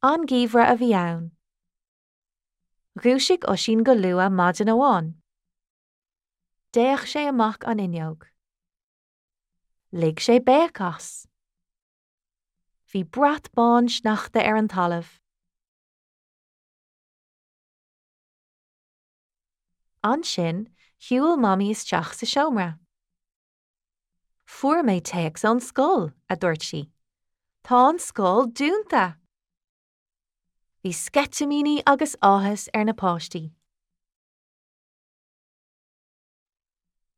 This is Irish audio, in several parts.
An geimhreadh a bhí ann. Dhúisigh Oisín go luath maidin amháin. D'fhéach sé amach an fhuinneog. Lig sé béic as. Bhí brat bán sneachta ar an talamh. Ansin, shiúil Mamaí isteach sa seomra. Fuair mé téacs ón scoil, a dúirt sí. Tá an scoil dúnta! Bhí sceitimíní agus áthas ar na páistí.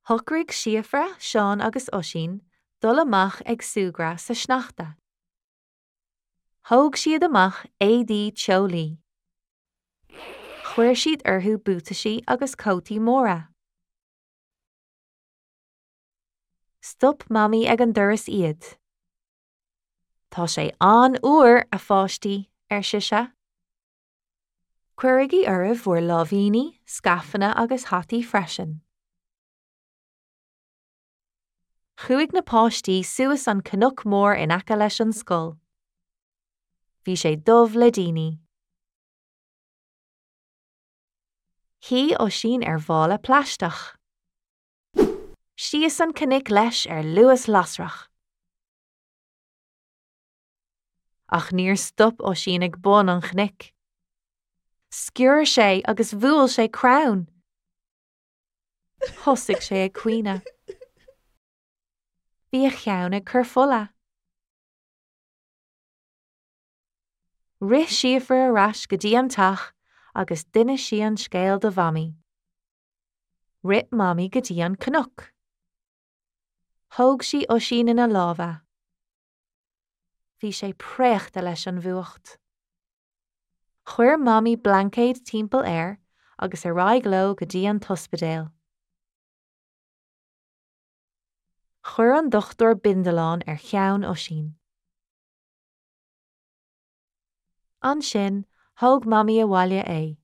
Shocraigh Síofra, Seán agus Oisín dul amach ag súgradh sa sneachta. Thóg siad amach éadaí teolaí. Chuir siad orthu buataisí agus cótaí móra. Stop Mamaí ag an doras iad. Tá sé an-fhuar, a pháistí, ar sise. Cuirigí oraibh bhur láimhíní, scaifeanna agus hataí freisin. Chuaigh na páistí suas an cnoc mór in aice leis an scoil. Bhí sé dubh le daoine. Shuigh Oisín ar mhála plaisteach. Síos an cnoc leis ar luas lasrach. Ach níor stop Oisín ag bun an chnoic. Sciorr sé agus bhuail sé crann. Thosaigh sé ag caoineadh. Bhí a cheann ag cur fola. Rith Síofra ar ais go dtí an teach agus d'inis sí an scéal do Mhamaí. Rith Mamaí go dtí an cnoc. Thóg sí Oisín ina lámha. Bhí sé préachta leis an bhfuacht. Chuir Mamaí blaincéad timpeall air agus ar aghaidh leo go dtí an t-ospidéal. Chuir an dochtúir bindealán ar cheann Oisín. Ansin, thóg Mamaí abhaile é.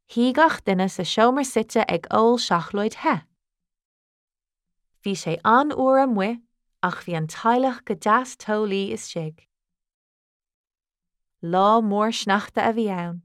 Shuigh gach duine sa seomra suite ag ól seacláid the. Bhí sé an-fhuar amuigh ach bhí an teaghlach go deas teolaí istigh. Lá mór sneachta a bhí ann.